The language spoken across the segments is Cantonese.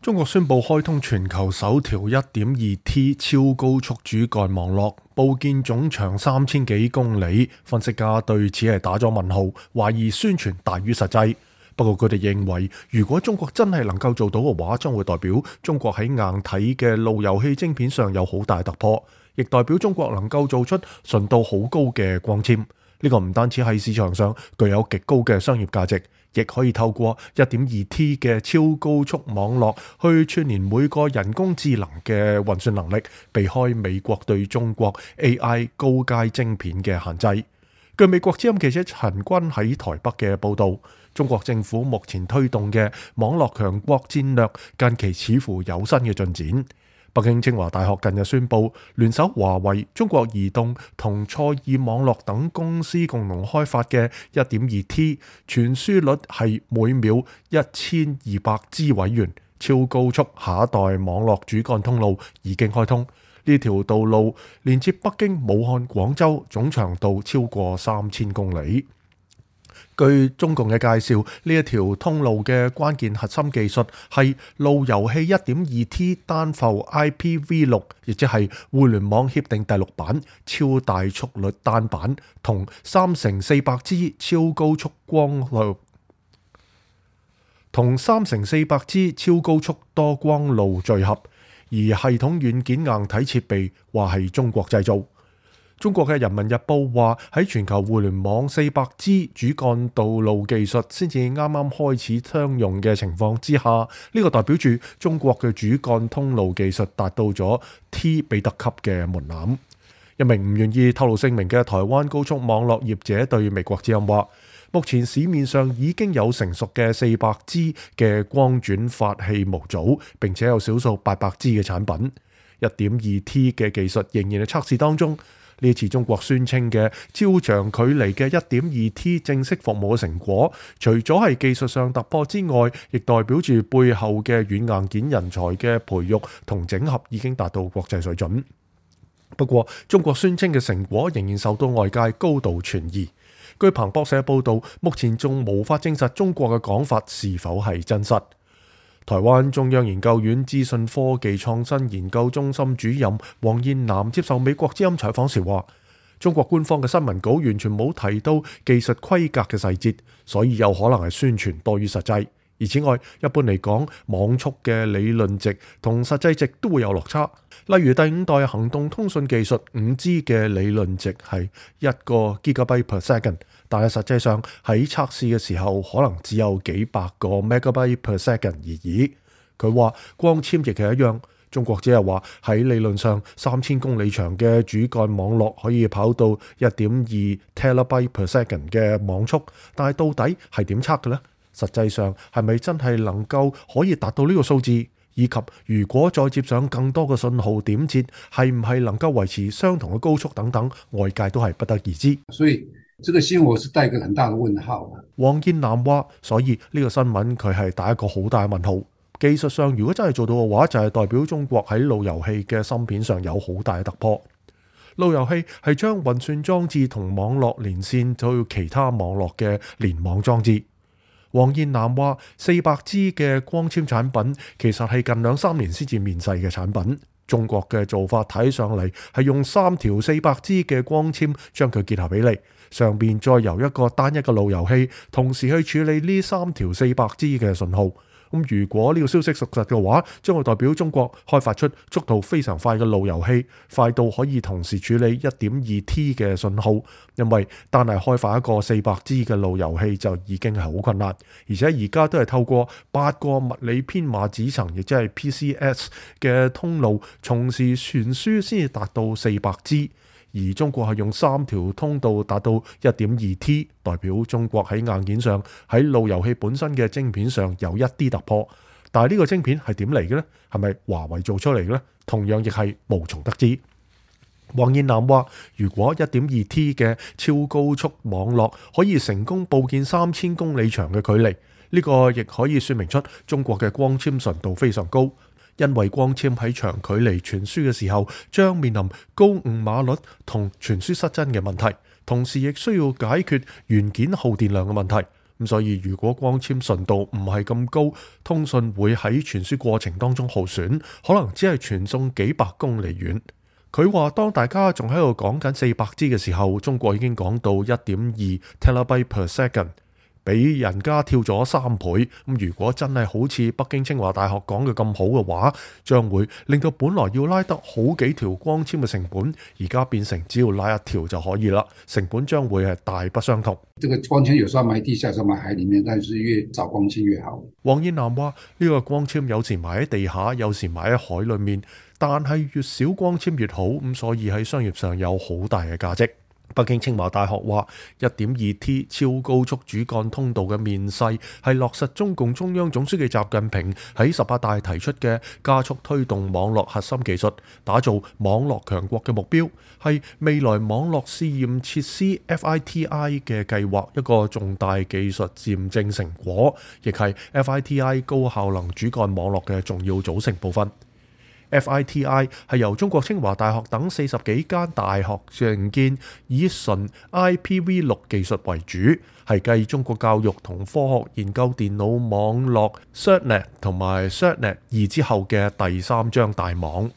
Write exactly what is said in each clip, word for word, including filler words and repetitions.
中國宣布開通全球首條 一點二 T 超高速主幹網絡，佈建總長三千幾公里。分析家對此係打咗問號，懷疑宣傳大於實際。不過佢哋認為，如果中國真係能夠做到嘅話，將會代表中國喺硬體嘅路由器晶片上有好大突破，亦代表中國能夠做出純度好高嘅光纖。呢個唔單止喺市場上具有極高嘅商業價值，亦可以透過 一點二 T 嘅超高速網絡去串聯每個人工智能嘅運算能力，避開美國對中國 A I 高階晶片嘅限制。據美國之音記者陳君喺台北嘅報導，中國政府目前推動嘅網絡強國戰略近期似乎有新嘅進展。北京清華大學近日宣布，聯手華為、中國移動同賽爾網絡等公司共同開發嘅 一點二 T 傳輸率係每秒一千二百 G 委員超高速下一代網絡主幹通路已經開通。呢條道路連接北京、武漢、廣州，總長度超過三千公里。據中共嘅介紹，呢一條通路嘅關鍵核心技術係路由器 一點二 T 單埠 I P v 六，亦即係互聯網協定第六版超大速率單板，同三乘四百 G 超高速光路同三乘四百 G 超高速多光路聚合，而系統軟件硬體設備話係中國製造。中國嘅人民日報話，喺全球互聯網 四百 G 主幹道路技術先至啱啱開始商用嘅情況之下，呢、這個代表住中國嘅主幹通路技術達到咗 T 彼得級嘅門檻。一名唔願意透露姓名嘅台灣高速網絡業者對美國之音話，目前市面上已經有成熟嘅 四百 G 嘅光轉發器模組，並且有少數八百 G 嘅產品。一點二 T 嘅技術仍然係測試當中。呢次中國宣稱嘅超長距離嘅 一點二 T 正式服務嘅成果，除咗係技術上突破之外，亦代表住背後嘅軟硬件人才嘅培育同整合已經達到國際水準。不過，中國宣稱嘅成果仍然受到外界高度存疑。據彭博社報導，目前仲無法證實中國嘅講法是否係真實。台灣中央研究院資訊科技創新研究中心主任黃燕南接受美國之音採訪時話，中國官方嘅新聞稿完全冇提到技術規格嘅細節，所以有可能係宣傳多於實際。而此外，一般嚟講，網速嘅理論值同實際值都會有落差。例如第五代行動通訊技術 五 G 嘅理論值係一個 gigabyte per second， 但係實際上喺測試嘅時候可能只有幾百個 megabyte per second 而已。佢話光纖亦係一樣，中國只係話喺理論上三千公里長嘅主幹網絡可以跑到 一點二 terabyte per second 嘅網速，但係到底係點測嘅呢？實際上係咪真係能夠可以達到呢個數字？以及如果再接上更多嘅信號點接，係唔係能夠維持相同嘅高速等等，外界都係不得而知。所以這個新聞我是帶一個很大的問號。黃燕南話，所以呢個新聞佢係打一個好大嘅問號。技術上如果真係做到嘅話，就係代表中國喺路由器嘅芯片上有好大嘅突破。路由器係將運算裝置同網絡連線到其他網絡嘅聯網裝置。黃燕南話：四百 G 嘅光纖產品其實係近兩三年先至面世嘅產品。中國嘅做法睇上嚟係用三條四百 G 嘅光纖將佢結合起嚟，上邊再由一個單一嘅路由器同時去處理呢三條四百 G 嘅信號。咁如果呢個消息屬實嘅話，將會代表中國開發出速度非常快嘅路由器，快到可以同時處理 一點二 T 嘅信號。因為單係開發一個四百 G 嘅路由器就已經係好困難，而且而家都係透過八個物理編碼子層，亦即係 P C S 嘅通路，同時傳輸先至達到四百 G。而中國係用三條通道達到 一點二 T， 代表中國喺硬件上喺路由器本身嘅晶片上有一啲突破。但係呢個晶片係點嚟嘅呢？係咪華為做出嚟嘅呢？同樣亦係無從得知。黃燕南話：如果 一點二 T 嘅超高速網絡可以成功佈建三千公里長嘅距離，呢個亦可以說明出中國嘅光纖純度非常高。因為光纖喺長距離傳輸嘅時候，將面臨高誤碼率同傳輸失真嘅問題，同時亦需要解決元件耗電量嘅問題。咁所以如果光纖順度唔係咁高，通訊會喺傳輸過程當中耗損，可能只係傳送幾百公里遠。佢話當大家仲喺度講緊四百 G 嘅時候，中國已經講到 一點二 Terabyte per second， 比人家跳咗三倍。咁如果真係好似北京清華大學講嘅咁好嘅話，將會令到本來要拉得好幾條光纖嘅成本，而家變成只要拉一條就可以啦，成本將會係大不相同。這個光纖有時候埋地下，有時候埋海裡面，但是越早光纖越好。黃燕南話：呢個光纖有時埋喺地下，有時埋喺海裡面，但係越少光纖越好，咁所以喺商業上有好大嘅價值。北京清華大學話，一點二 T 超高速主幹通道嘅面世係落實中共中央總書記習近平喺十八大提出嘅加速推動網絡核心技術，打造網絡強國嘅目標，係未來網絡試驗設施 F I T I 嘅計劃一個重大技術驗證成果，亦係 F I T I 高效能主幹網絡嘅重要組成部分。F I T I 係由中國清華大學等四十幾間大學承建，以純 I P V 六 技術為主，係繼中國教育同科學研究電腦網絡 CERT-Net 同埋 CERT-Net 二之後嘅第三張大網。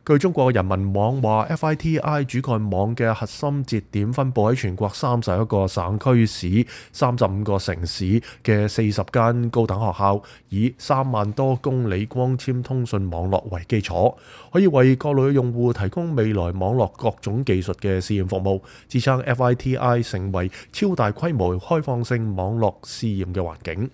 據中國人民網話 ，F I T I 主幹網嘅核心節點分佈喺全國三十一個省區市、三十五個城市嘅四十間高等學校，以三萬多公里光纖通訊網絡為基礎，可以為各類用戶提供未來網絡各種技術嘅試驗服務，支撐 F I T I 成為超大規模開放性網絡試驗嘅環境。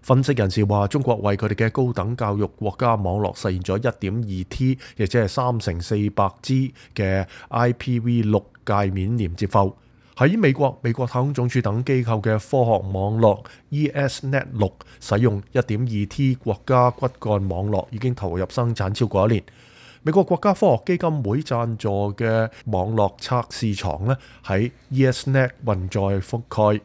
分析人士話，中國為佢哋嘅高等教育國家網絡實現咗 一點二 T， 亦即係三乘四百 G 嘅 I P V 六 界面連接埠。喺美國、美國太空總署等機構嘅科學網絡 ESNet 六使用 一點二 T 國家骨幹網絡已經投入生產超過一年。美國國家科學基金會贊助嘅網絡測試床呢，喺 ESNet 運載覆蓋。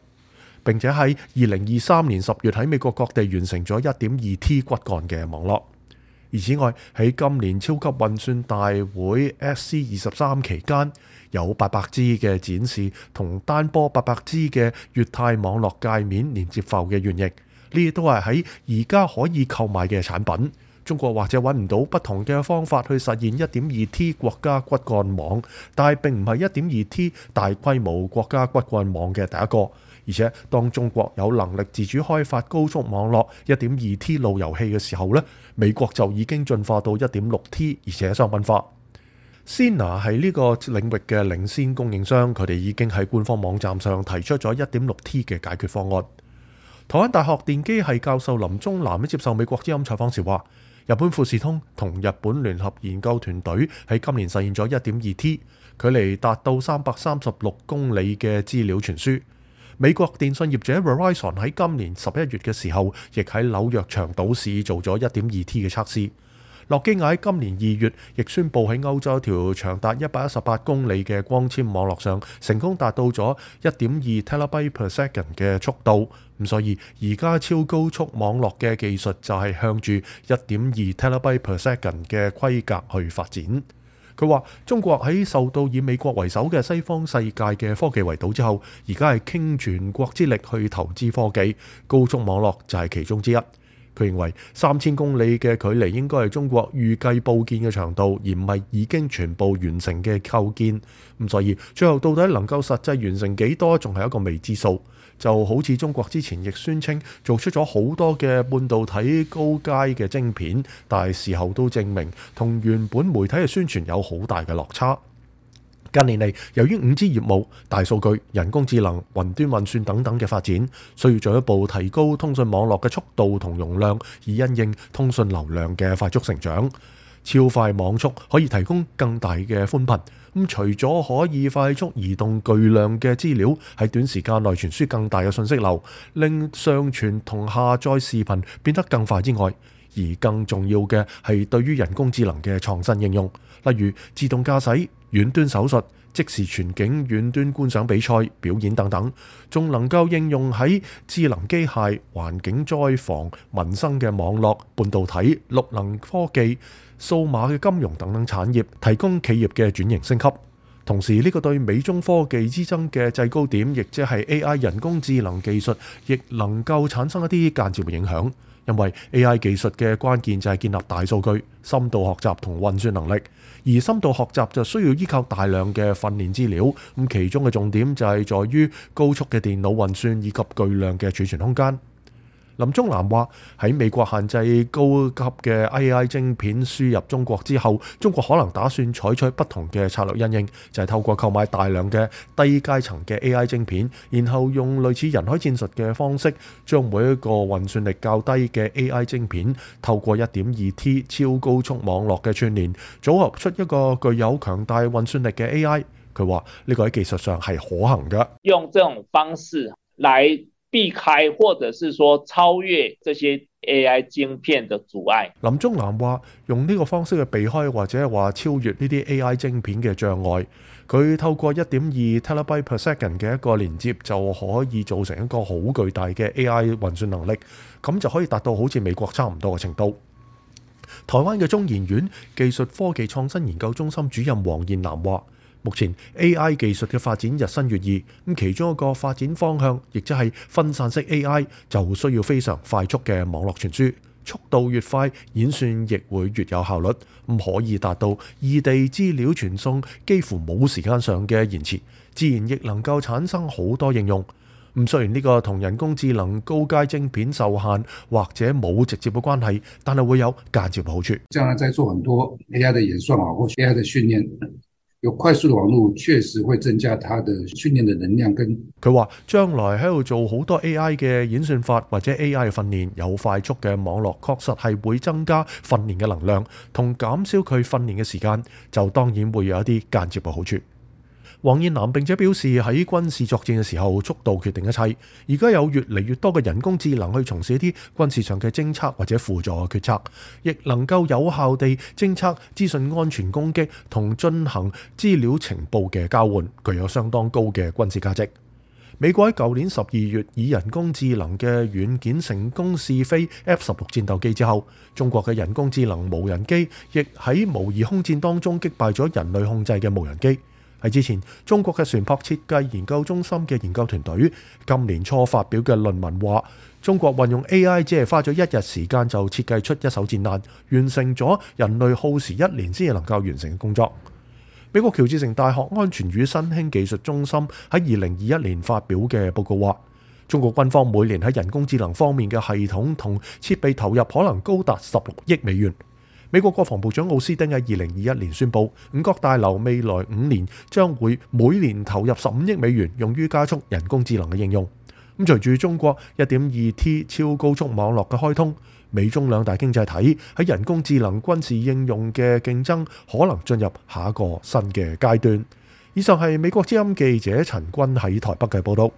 並且喺二零二三年十月喺美國各地完成咗 一點二 T 骨幹嘅網絡。而此外，喺今年超級運算大會 S C 二十三期間，有八百 G 嘅展示同單波八百 G 嘅乙太網絡界面連接埠嘅原型，呢啲都係喺而家可以購買嘅產品。中國或者揾唔到不同嘅方法去實現 一點二 T 國家骨幹網，但係並唔係 一點二 T 大規模國家骨幹網嘅第一個。而且當中國有能力自主開發高速網絡 一點二 T 路由器嘅時候呢，美國就已經進化到 一點六 T， 而且商品化。Sina 係呢個領域嘅領先供應商，佢哋已經喺官方網站上提出咗 一點六 T 嘅解決方案。台灣大學電機系教授林宗南接受美國之音採訪時話，日本富士通同日本聯合研究團隊喺今年實現咗 一點二 T， 距離達到三百三十六公里嘅資料傳輸。美國電信業者 Verizon 喺今年十一月嘅時候，亦喺紐約長島市做咗 一點二 T 嘅測試。諾基亞喺今年二月亦宣布喺歐洲一條長達一百一十八公里嘅光纖網絡上，成功達到咗 一點二 Terabyte per second 嘅速度。咁所以而家超高速網絡嘅技術就係向住 一點二 Terabyte per second 嘅規格去發展。佢話：中國喺受到以美國為首嘅西方世界嘅科技圍堵之後，而家係傾全國之力去投資科技，高速網絡就係其中之一。佢認為三千公里嘅距離應該係中國預計佈建嘅長度，而唔係已經全部完成嘅構建。咁所以最後到底能夠實際完成幾多，仲係一個未知數。就好似中國之前亦宣稱做出咗好多嘅半導體高階嘅晶片，但係事後都證明同原本媒體嘅宣傳有好大嘅落差。近年嚟，由於五 G 業務、大數據、人工智能、雲端運算等等嘅發展，需要進一步提高通訊網絡嘅速度同容量，以因應通訊流量嘅快速成長。超快網速可以提供更大嘅寬頻，咁除咗可以快速移動巨量嘅資料，喺短時間內傳輸更大嘅信息流，令上傳同下載視頻變得更快之外，而更重要嘅係對於人工智能嘅創新應用，例如自動駕駛、遠端手術、即時全景遠端觀賞比賽、表演等等，仲能夠應用喺智能機械、環境災防、民生嘅網絡、半導體、綠能科技、數碼嘅金融等等產業，提供企業嘅轉型升級。同時呢個對美中科技之爭嘅制高點，亦即係 A I 人工智能技術，亦能夠產生一啲間接嘅影響。因為 A I 技術嘅關鍵就係建立大數據、深度學習同運算能力，而深度學習就需要依靠大量嘅訓練資料。咁其中嘅重點就係在於高速嘅電腦運算以及巨量嘅儲存空間。林宗南話：喺美國限制高級嘅 A I 晶片輸入中國之後，中國可能打算採取不同嘅策略因應，就係透過購買大量嘅低階層嘅 A I 晶片，然後用類似人海戰術嘅方式，將每一個運算力較低嘅 A I 晶片透過 一點二 T 超高速網絡嘅串聯，組合出一個具有強大運算力嘅 A I。佢話呢個喺技術上係可行嘅，用這種方式來避開或者是說超越這些 A I 晶片的阻礙。林宗南話：用呢個方式去避開或者係話超越呢啲 A I 晶片嘅障礙，佢透過 一點二 terabyte per second 嘅一個連接就可以造成一個好巨大嘅 A I 運算能力，咁就可以達到好似美國差唔多嘅程度。台灣嘅中研院技術科技創新研究中心主任黃燕南話：目前 A I 技術嘅發展日新月異，咁其中一個發展方向，亦即係分散式 A I， 就需要非常快速嘅網絡傳輸，速度越快，演算亦會越有效率，咁可以達到異地資料傳送幾乎冇時間上嘅延遲，自然亦能夠產生好多應用。咁雖然呢個同人工智能高階晶片受限或者冇直接嘅關係，但係會有間接嘅好處。將來在做很多 A I 的演算啊，或 A I 的訓練。有快速的網絡確實會增加它的訓練的能量跟。佢話將來喺度做好多 A I 嘅演算法或者 A I 嘅訓練，有快速嘅網絡確實係會增加訓練嘅能量，同減少佢訓練嘅時間，就當然會有一啲間接嘅好處。黃燕南並且表示，喺軍事作戰嘅時候，速度決定一切。而家有越嚟越多嘅人工智能去從事一啲軍事上嘅偵測或者輔助嘅決策，亦能夠有效地偵測資訊安全攻擊同進行資料情報嘅交換，具有相當高嘅軍事價值。美國喺舊年十二月以人工智能嘅軟件成功試飛 F 十六戰鬥機之後，中國嘅人工智能無人機亦喺模擬空戰當中擊敗咗人類控制嘅無人機。喺之前，中國嘅船舶設計研究中心嘅研究團隊今年初發表嘅論文話，中國運用 A I 只係花咗一日時間就設計出一艘戰艦，完成咗人類耗時一年先至能夠完成嘅工作。美國喬治城大學安全與新興技術中心喺二零二一年發表嘅報告話，中國軍方每年喺人工智能方面嘅系統同設備投入可能高達十六億美元。美國國防部長奧斯汀喺二零二一年宣布，五角大樓未來五年將會每年投入十五億美元，用於加速人工智能嘅應用。咁隨住中國 一點二 T 超高速網絡嘅開通，美中兩大經濟體喺人工智能軍事應用嘅競爭可能進入下一個新嘅階段。以上係美國之音記者陳君喺台北嘅報道。